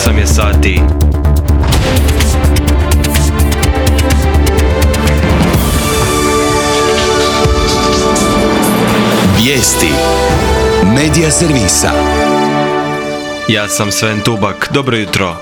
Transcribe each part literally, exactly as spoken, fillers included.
osam je sati. Vijesti Medija servisa. Ja sam Sven Tubak, dobro jutro.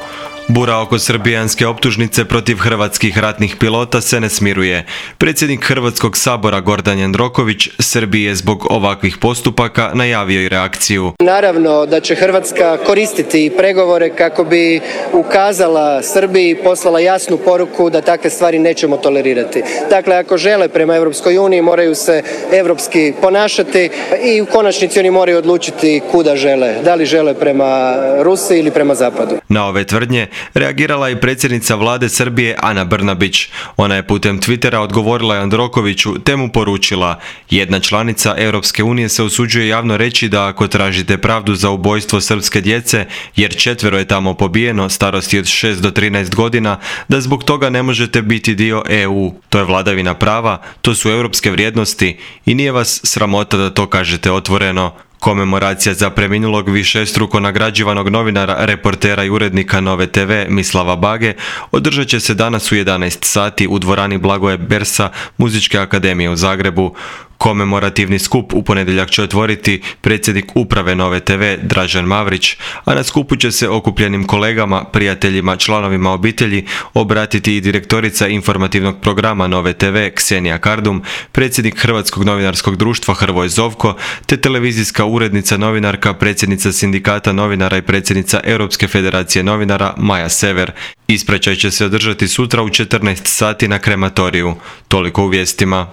Bura oko srbijanske optužnice protiv hrvatskih ratnih pilota se ne smiruje. Predsjednik Hrvatskog sabora Gordan Jandroković Srbiji je zbog ovakvih postupaka najavio i reakciju. Naravno da će Hrvatska koristiti pregovore kako bi ukazala Srbiji, poslala jasnu poruku da takve stvari nećemo tolerirati. Dakle, ako žele prema Europskoj uniji, moraju se europski ponašati i u konačnici oni moraju odlučiti kuda žele. Da li žele prema Rusiji ili prema Zapadu. Na ove tvrdnje reagirala i predsjednica vlade Srbije Ana Brnabić. Ona je putem Twittera odgovorila Jandrokoviću te mu poručila: jedna članica Europske unije se usuđuje javno reći da ako tražite pravdu za ubojstvo srpske djece, jer četvero je tamo pobijeno starosti od šest do trinaest godina, da zbog toga ne možete biti dio E U. To je vladavina prava, to su europske vrijednosti i nije vas sramota da to kažete otvoreno. Komemoracija za preminulog višestruko nagrađivanog novinara, reportera i urednika Nove te ve Mislava Bage održat će se danas u jedanaest sati u dvorani Blagoje Bersa Muzičke akademije u Zagrebu. Komemorativni skup u ponedjeljak će otvoriti predsjednik uprave Nove te ve Dražen Mavrić, a na skupu će se okupljenim kolegama, prijateljima, članovima obitelji obratiti i direktorica informativnog programa Nove te ve Ksenija Kardum, predsjednik Hrvatskog novinarskog društva Hrvoje Zovko, te televizijska urednica novinarka, predsjednica sindikata novinara i predsjednica Europske federacije novinara Maja Sever. Ispraćaj će se održati sutra u četrnaest sati na krematoriju. Toliko u vijestima.